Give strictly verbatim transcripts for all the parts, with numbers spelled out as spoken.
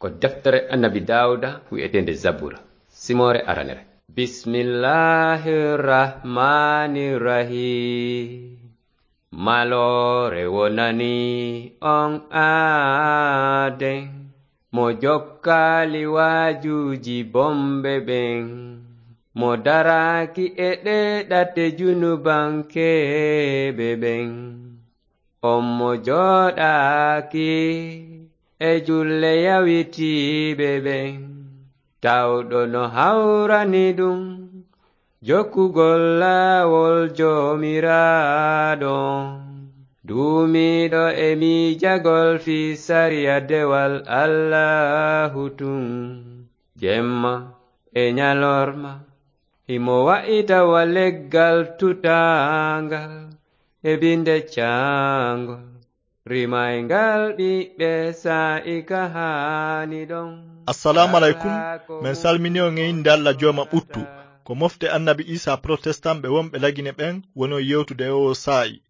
Ko deftere Annabi Daawuda wi'eteende Zabura, simoore aranere. Bismillahir Rahmanir Rahim. Maloore wonani on aaden, mo jokkaali waajuuji bonɓe ɓen, mo daraaki e ɗee ɗate junubankeeɓe ɓen. On mo jooɗaaki e julle yawitiiɓe ɓen, tawɗo no hawrani ɗum jokkugol laawol Joomiraaɗo, duumiiɗo e miijagol fii sariya dewal Allaahu tun, jemma e ñalorma. Himo wa'ita wa leggal tutaangal e binde caangol, rimayngal ɓiɓɓe saa'i ka haani ɗon. Assalaamu aleykum. Men salmini on e innde Alla Jooma ɓuttu. Ko mofte Annabi Iisaa Protestan ɓe wonɓe Lagine ɓen woni on yewtude e oo saa'i.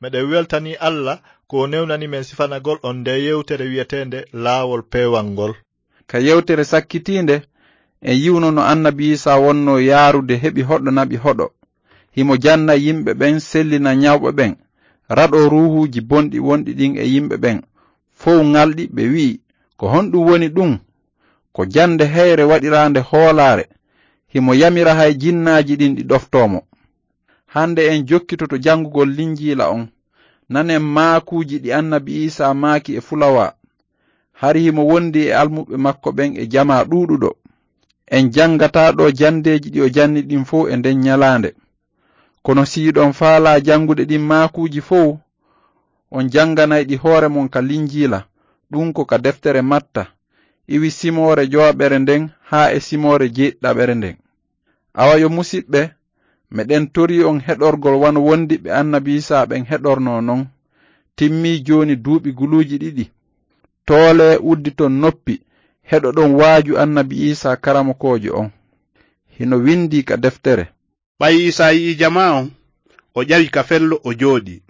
Meɗen weltanii Alla ko o newnani men sifanagol on ndee yewtere wi'eteende Laawol Peewal ngol. Ka yewtere sakkitiinde, en yi'uno no Annabi Iisaa wonnoo yaarude heɓi hoɗo naɓi hoɗo. Himo janna yimɓe ɓen, sellina ñawɓe ɓen, raɗoo ruuhuuji bonɗi wonɗi ɗin e yimɓe ɓen, fow ŋalɗi, ɓe wi'i, "Ko honɗum woni ɗum? Ko jannde heyre waɗiraande hoolaare." Himo yamira hay jinnaaji ɗin ɗi ɗoftoo mo. Hannde en jokkitoto janngugol Linjiila on. Nanen maakuuji ɗi Annabi Iisaa maaki e fulawaa. Hari himo wondi e almuɓɓe makko ɓen e jamaa ɗuuɗuɗo. En janngataa ɗoo janndeeji ɗi o janni ɗin fow e nden ñalaande. Kono si hiɗon faalaa janngude ɗin maakuuji fow, on jannganay ɗi hoore mon ka Linjiila, ɗun ko ka deftere Matta, iwi simoore jowaɓere nden haa e simoore jeeɗiɗaɓere nden. Awa yo musiɓɓe, meɗen torii on heɗorgol wano wondiɓɓe Annabi Iisaa ɓen heɗornoo non. Timmii jooni duuɓi guluuji ɗiɗi. Toolee, udditon noppi, heɗoɗon waaju Annabi Iisaa karamokoojo on. Hino windii ka deftere. Ɓay Iisaa yi'ii jamaa on, o ƴawi kafello, o jooɗii.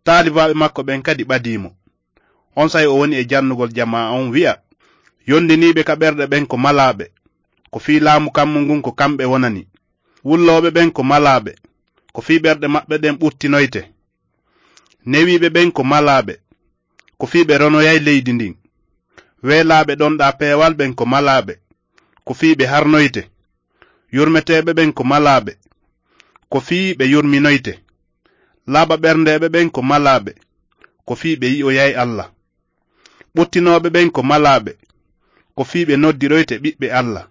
Taalibaaɓe makko ɓen kadi ɓadii mo. Onsay o woni e jannugol jamaa on, wi'a, "Yondiniiɓe ka ɓerɗe ɓen ko malaaɓe, ko fii laamu kammu ngun ko kamɓe wonani. Wullooɓe ɓen ko malaaɓe, ko fii ɓerɗe maɓɓe ɗen ɓuttinoyte. Newiiɓe ɓen ko malaaɓe, ko fii ɓe ronoyay leydi ndin. Weelaaɓe ɗonɗaa peewal ɓen ko malaaɓe, ko fii ɓe harnoyte. Yurmeteeɓe ɓen ko malaaɓe, ko fii ɓe yurminoyte. Laaɓa ɓerndeeɓe ɓen ko malaaɓe, ko fii ɓe yi'oyay Alla. Ɓuttinooɓe ɓen ko malaaɓe, ko fii ɓe noddiroyte ɓiɓɓe Alla.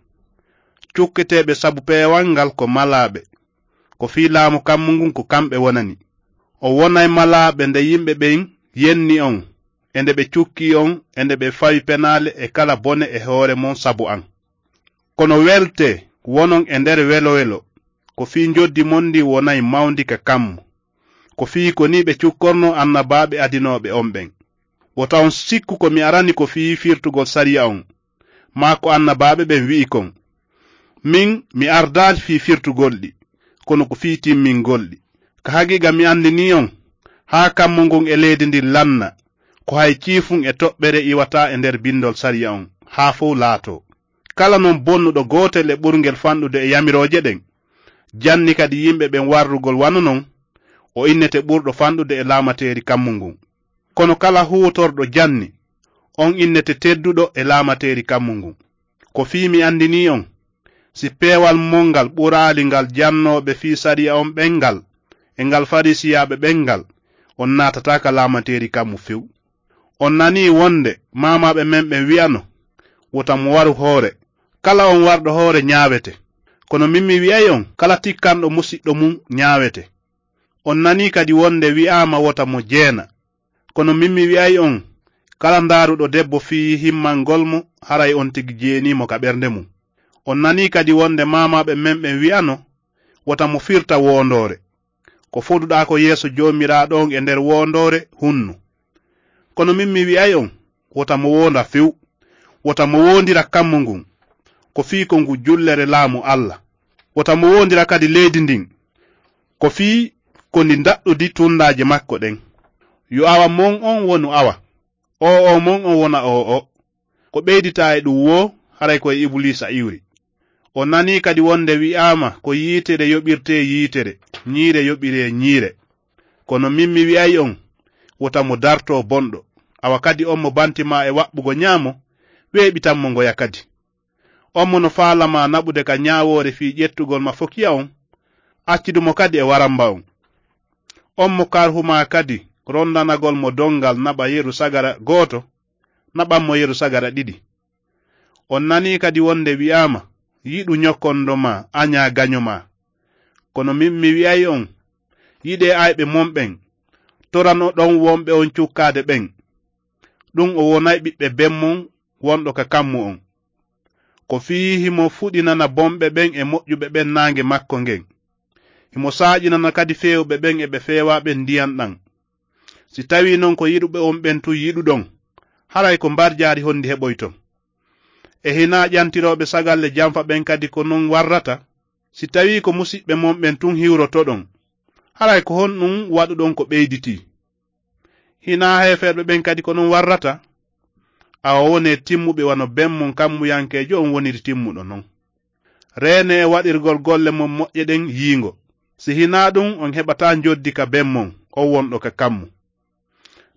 Cukketeeɓe sabu peewal ngal ko malaaɓe, ko fii laamu kammu ngun ko kamɓe wonani." O wonay malaaɓe nde yimɓe ɓen yenni on, e nde ɓe cukkii on, e nde ɓe fawi penaale e kala bone e hoore mon sabu an. Kono weltee, wonon e nder welo-welo, ko fii njoddi mon ndin wonay mawndi ka kammu. Ko fii ko nii ɓe cukkornoo annabaaɓe adinooɓe on ɓen. Wota on sikku ko mi arani ko fii firtugol sariya on, maa ko annabaaɓe ɓen wi'i kon. Min, mi ardaali fii firtugol ɗi, kono ko fii timmingol ɗi. Ka haqiiqa mi andinii on, haa kammu ngun e leydi ndin lanna, ko hay ciifun e toɓɓere iwataa e nder bindol sariya on, haa fow laatoo. Kala non bonnuɗo gootel e ɓurngel fanɗude e yamirooje ɗen, janni kadi yimɓe ɓen warrugol wano non, o innete ɓurɗo fanɗude e laamateeri kammu ngun. Kono kala huutorɗo janni, on innete tedduɗo e laamateeri kammu ngun. Ko fii mi andinii on, si peewal mon ngal ɓuraali ngal jannooɓe fii sariya on ɓen ngal, e ngal Fariisiyaaɓe ɓen ngal, on naatataa ka laamateeri kammu few. On nanii wonde maamaaɓe men ɓen wi'ano, "Wota mo waru hoore." Kala on warɗo hoore ñaawete. Kono min mi wi'ay on, kala tikkanɗo musiɗɗo mun ñaawete. On nanii kadi wonde wi'aama, "Wota mo jeena." Kono min mi wi'ay on, kala ndaaruɗo debbo fii himmangol mo, haray on tigi jeenii mo ka ɓernde mun. On nanii kadi wonde maamaaɓe men ɓen wi'ano, "Wota mo firta woondoore." Ko foduɗaa ko yeeso Joomiraaɗo on e nder woondoore, hunnu. Kono min mi wi'ay on, wota mo woonda few. Wota mo woondira kammu ngun, ko fii ko ngu jullere laamu Alla. Wota mo woondira kadi leydi ndin, ko fii ko ndi ndaɗɗudi tundaaje makko ɗen. Yo awa mon on wonu awa, o'o mon on wona o'o. Ko ɓeyditaa e ɗum woo, haray ko e Ibuliisa iwri. O nanii kadi wonde wi'aama ko yiitere yoɓirtee yiitere, ñiire yoɓiree ñiire. Kono min mi wi'ay on, wota mo dartoo bonɗo. Awa kadi on mo banti maa e waɓɓugo ñaamo, weeɓitan mo ngoya kadi. On mo no faalamaa naɓude ka ñaawoore fii ƴettugol ma fokiya on, accidu mo kadi e waramba on. On mo karhumaa kadi rondanagol mo donngal naɓa yeru sagara gooto, naɓan mo yeru sagara ɗiɗi. On nanii kadi wonde wi'aama, yiɗu ñokkondo maa, añaa gaño maa. Kono min mi wi'ay on, yiɗee ayɓe mon ɓen, toranoɗon wonɓe on cukkaade ɓen. Ɗum o wonay ɓiɓɓe ben mon wonɗo ka kammu on. Ko fii himo fuɗinana bonɓe ɓen e moƴƴuɓe ɓen naange makko ngen. Himo saaƴinana kadi feewɓe ɓen e ɓe feewaa ɓen ndiyan ɗan. Si tawii non ko yiɗuɓe on ɓen tun yiɗuɗon, haray ko mbarjaari honndi heɓoyton? E hinaa ƴantirooɓe sagalle janfa ɓen kadi ko non warrata? Si tawii ko musiɓɓe mon ɓen tun hiwrotoɗon, haray ko honɗum waɗuɗon ko ɓeyditii? Hinaa heeferɓe ɓen kadi ko non warrata? Awa wonee timmuɓe wano ben mon kammuyankeejo on woniri timmuɗo non. Reenee e waɗirgol golle mon moƴƴe ɗen yiingo. Si hinaa ɗum, on heɓataa njoddi ka ben mon, on wonɗo ka kammu.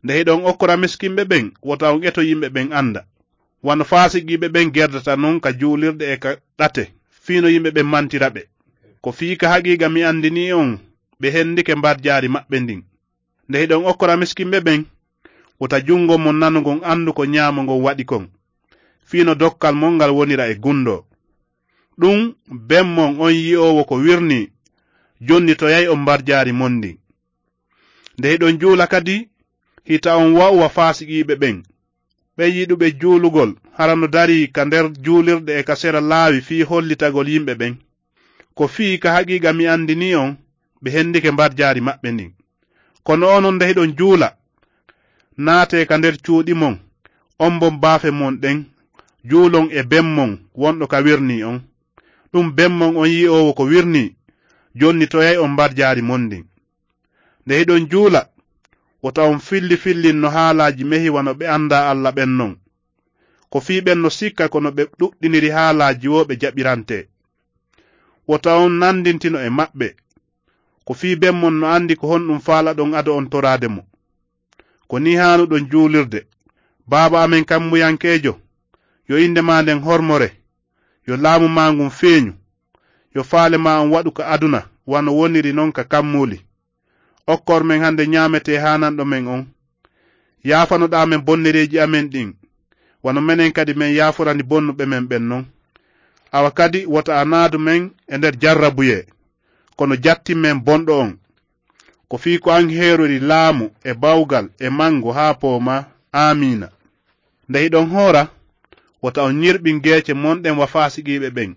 Nde hiɗon okkora miskinɓe ɓen, wota on eto yimɓe ɓen anda. Wano faasiqiiɓe ɓen gerdata non ka juulirɗe e ka ɗate, fii no yimɓe ɓen mantira ɓe. Ko fii ka haqiiqa mi andinii on, ɓe hendike mbarjaari maɓɓe ndin. Nde hiɗon okkora miskinɓe ɓen, wota jungo mon nano ngon andu ko ñaamo ngon waɗi kon, fii no dokkal mon ngal wonira e gundo. Ɗum, ben mon on yi'oowo ko wirnii, jonnitoyay on mbarjaari mon ndin. Nde hiɗon juula kadi, hita on wa'u wa faasiqiiɓe ɓen. Ɓen yiɗuɓe juulugol, hara no darii ka nder juulirɗe e ka sera laawi fii hollitagol yimɓe ɓen. Ko fii ka haqiiqa mi andinii on, ɓe hendike mbarjaari maɓɓe ndin. Kono onon nde hiɗon juula, naatee ka nder cuuɗi mon, ombon baafe mon ɗen, juulon e ben mon wonɗo ka wirnii on. Ɗum ben mon on yi'oowo ko wirnii, jonnitoyay on mbarjaari mon ndin. Nde hiɗon juula, wota on filli fillin no haalaaji mehi wano ɓe andaa Alla ɓen non. Ko fii ɓen no sikka ko no ɓe ɗuɗɗiniri haalaaji woo ɓe jaɓirantee. Wota on nandintino e maɓɓe. Ko fii ben mon no andi ko honɗum faalaɗon ado on toraade mo. Ko nii haanuɗon juulirde: Baaba amen kammuyankeejo, yo innde maa nden hormore, yo laamu maa ngun feeñu, yo faale maa on waɗu ka aduna wano woniri non ka kammuuli. Okkor men hande ñaametee haananɗo men on. Yaafanoɗaa men bonnereeji amen ɗin, wano menen kadi men yaaforani bonnuɓe men ɓen non. Awa kadi wota a naadu men e nder jarrabuyee, kono jattin men bonɗo on. Ko fii ko an heerori laamu e bawgal e mangu haa poomaa. Aamiina. Nde hiɗon hoora, wota on ñirɓin geece mon ɗen wa faasiqiiɓe ɓen.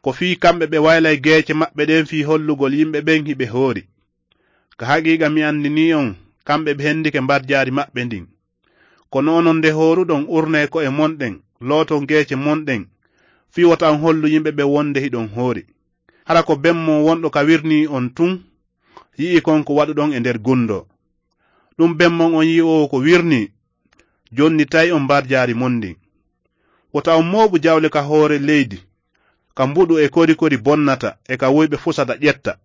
Ko fii kamɓe ɓe waylay geece maɓɓe ɗen fii hollugol yimɓe ɓen hiɓe hoori. Ka haqiiqa mi andinii on, kamɓe ɓe hendike mbarjaari maɓɓe ndin. Kono onon nde hooruɗon urnee ko'e mon ɗen, looton geece mon ɗen, fii wota on hollu yimɓe ɓen wonde hiɗon hoori. Hara ko ben mon wonɗo ka wirnii on tun yi'i kon ko waɗuɗon e nder gundo. Ɗum ben mon on yi'oowo ko wirnii, jonnitay on mbarjaari mon ndin. Wota on mooɓu jawle ka hoore leydi, ka mbuɗu e kori kori bonnata e ka wuyɓe fusata ƴetta.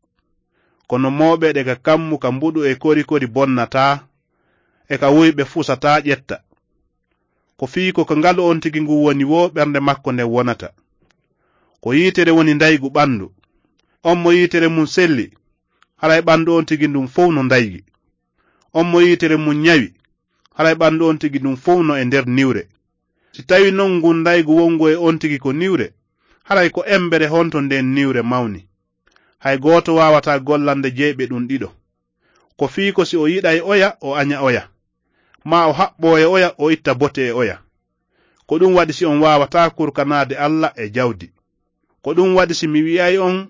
Kono mooɓeɗe ka kammu ka mbuɗu e kori kori bonnataa e ka wuyɓe fusataa ƴetta. Ko fii ko ka ngalu on tigi ngun woni woo ɓernde makko nden wonata. Ko yiitere woni ndaygu ɓandu. On mo yiitere mun selli, haray ɓandu on tigi ndun fow no ndaygi. On mo yiitere mun ñawi, haray ɓandu on tigi ndun fow no e nder niwre. Si tawii non ngun ndaygu wongu e on tigi ko niwre, haray ko embere honto nden niwre mawni. Hay gooto waawataa gollande jeyɓe ɗum ɗiɗo. Ko fii ko si o yiɗay oya, o aña oya, maa o haɓɓoo e oya, o itta bote e oya. Ko ɗum waɗi si on waawataa kurkanaade Alla e jawdi. Ko ɗum waɗi si mi wi'ay on,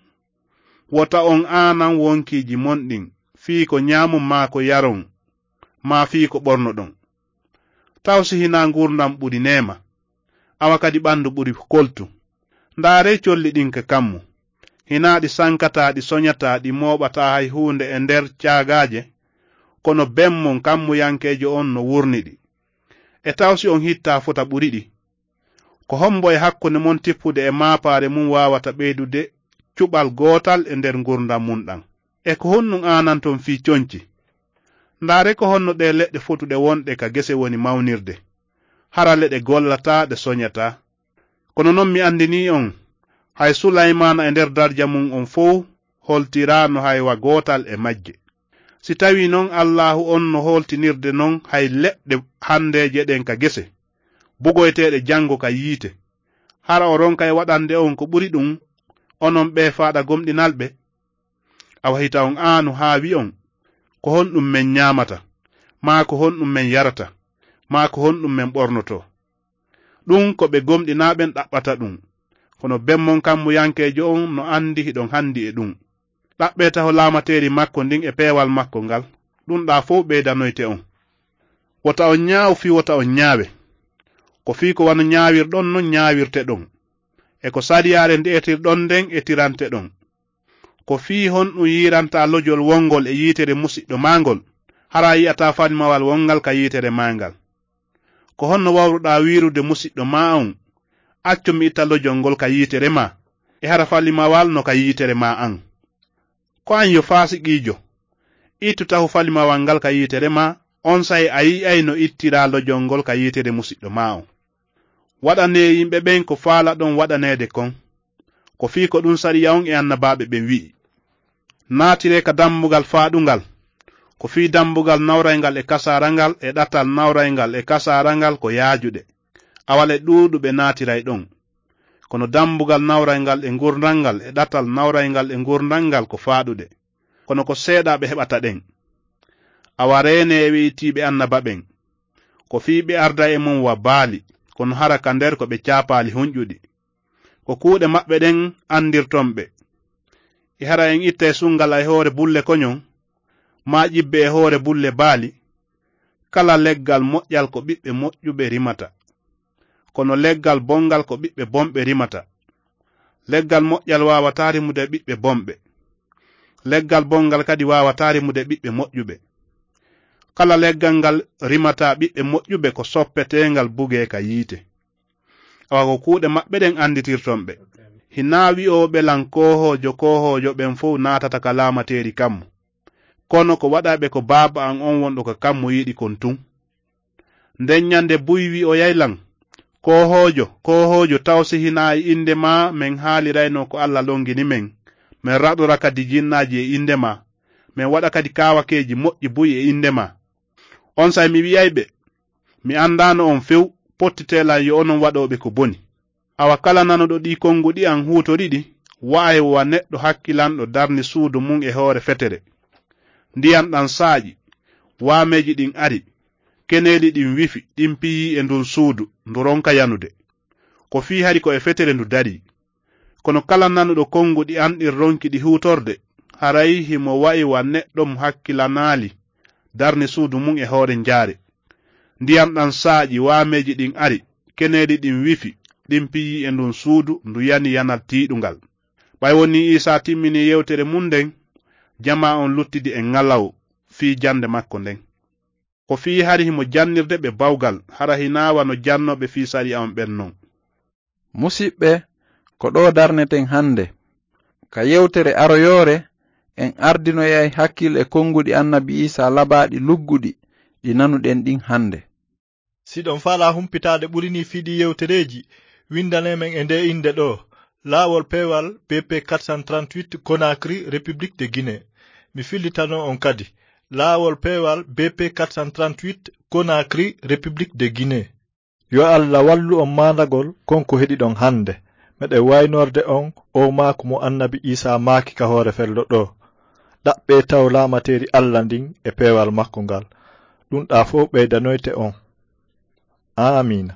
wota on aanan wonkiiji mon ɗin, fii ko ñaamon maa ko yaron, maa fii ko ɓornoɗon. Taw si hinaa ngurndan ɓuri neema, awa kadi ɓandu ɓuri koltu. Ndaaree colli ɗin ka kammu. Hinaa ɗi sankataa, ɗi soñataa, ɗi mooɓataa hay huunde e nder caagaaje, kono ben mon kammuyankeejo on no wurni ɗi. E taw si on hittaa fota ɓuri ɗi? Ko hombo e hakkunde mon tippude e maapaare mum waawata ɓeydude cuɓal gootal e nder ngurndan mum ɗan? E ko honɗun aananton fii conci? Ndaaree ko honno ɗee leɗɗe fotuɗe wonɗe ka gese woni mawnirde. Hara leɗe gollataa, ɗe soɲataa. Kono non mi anndinii on, hay Sulaymaana e nder darja mum on fow holtiraano hay wa gootal e majje. Si tawii non Allaahu on no holtinirde non hay leɗɗe hanndeeje ɗen ka gese, bugoyteeɗe janngo ka yiite, hara o ronkay waɗande on ko ɓuri ɗun, onon ɓee faaɗa gomɗinalɓe? Awa hita on aanu haa wi'on, ko honɗun men ɲaamata, maa ko honɗun men yarata, maa ko honɗun men ɓornotoo? Ɗun ko ɓe gomɗinaa ɓen ɗaɓɓata ɗun. Kono ben mon kammuyankeejo on no anndi hiɗon hanndi e ɗun. Ɗaɓɓee taho laamateeri makko ndin e peewal makko ngal, ɗun ɗaa fow ɓeydanoyte on. Wota on ɲaawu fii wota on ɲaawe. Ko fii ko wano ɲaawirɗon non ɲaawirteɗon. E ko sariyaare nde'etirɗon nden etirante ɗon. Ko fii honɗun yiirantaa lojol wongol e yiitere musiɗɗo maa ngol, hara a yi'ataa falimawal wonngal ka yiitere maa ngal? Ko honno wawruɗaa wi'irude musiɗɗo maa on, accu mi itta lojol ngol ka yiitere maa, e hara falimawal no ka yiitere maa an? Ko an yo faasiqiijo, ittu taho falimawal ngal ka yiitere maa, onsay a yi'ay no ittiraa lojol ngol ka yiitere musiɗɗo maa on. Waɗanee yimɓe ɓen ko faalaɗon waɗaneede kon. Ko fii ko ɗun sariya on e annabaaɓe ɓen wi'i. Naatiree ka dambugal faaɗungal. Ko fii dambugal nawrayngal e kasaarangal e ɗatal nawrayngal e kasaarangal ko yaajuɗe. Awa le ɗuuɗuɓe naatiray ɗon. Kono dambugal nawrayngal e ngurndangal e ɗatal nawrayngal e ngurndangal ko faaɗuɗe. Kono ko seeɗaaɓe heɓata ɗen. Awa reenee e we'itiiɓe annaba ɓen. Ko fii ɓe arday e mon wa baali, kono hara ka nder ko ɓe caapaali honƴuɗi. Ko kuuɗe maɓɓe ɗen anndirton ɓe. E hara en ittay sunngal e hoore bulle koɲon, maa ƴibbe e hoore bulle baali? Kala leggal moƴƴal ko ɓiɓɓe moƴƴuɓe rimata. Kono leggal bonngal ko ɓiɓɓe bonɓe rimata. Leggal moƴƴal waawataa rimude ɓiɓɓe bonɓe. Leggal bonngal kadi waawataa rimude ɓiɓɓe moƴƴuɓe. Kala leggal ngal rimataa ɓiɓɓe moƴƴuɓe ko soppeteengal bugee ka yiite. Awa ko kuuɗe maɓɓe ɗen annditirton ɓe. Hinaa wi'ooɓe lan koohoojo, koohoojo ɓen fow naatata ka laamateeri kammu. Kono ko waɗayɓe ko Baaba an on wonɗo ka kammu yiɗi kon tun. Nden ɲande buy wi'oyay lan, koohoojo, koohoojo, taw si hinaa e innde maa men haalirayno ko Alla longini men, men raɗora kadi jinnaaji e innde maa, men waɗa kadi kaawakeeji moƴƴi buy e innde maa. Onsay mi wi'ay ɓe, mi anndaano on few, pottitee lan yo onon waɗooɓe ko boni. Awa kala nanuɗo ɗii konguɗi an huutori ɗi, wa'ay wa neɗɗo hakkilanɗo darni suudu mun e hoore fetere. Ndiyan ɗan saaƴi, waameeji ɗin ari, keneeli ɗin wifi, ɗin piyii e ndun suudu, ndu ronka yanude. Ko fii hari ko e fetere ndu darii. Kono kala nanuɗo konguɗi an ɗin ronki ɗi huutorde, haray himo wa'i wa neɗɗo mo hakkilanaali darni suudu mun e hoore njaare. Ndiyan ɗan saaƴi, waameeji ɗin ari, keneeli ɗin wifi, ɗin piyii e ndun suudu, ndu yani yanal tiiɗungal. Ɓay wonii Iisaa timminii yewtere mun nden, jamaa on luttidi e ŋalaw fii jannde makko nden. Ko fii hari himo jannirde ɓe bawgal, hara hinaa wano jannooɓe fii sariya on ɓen non. Musiɓɓe, ko ɗoo darneten hannde. Ka yewtere aroyoore, en ardinoyay hakkil e konguɗi Annabi Iisaa labaaɗi lugguɗi ɗi nanuɗen ɗin hannde. Si ɗon faalaa humpitaade ɓuri nii fii ɗii yewtereeji, winndanee men e ndee innde ɗoo, Laawol Peewal B P quatre cent trente-huit, Conakry, République de Guinée. Mi fillitano on kadi, Laawol Peewal B P quatre cent trente-huit, Conakry, République de Guinée. Yo Alla wallu on maandagol kon ko heɗiɗon hannde. Meɗen waynorde on oo maaku mo Annabi Iisaa maaki ka hoore fello ɗoo, ɗaɓɓee taw laamateeri Alla ndin e peewal makko ngal. Ɗun ɗaa fow ɓeydanoyte on. Aamiina.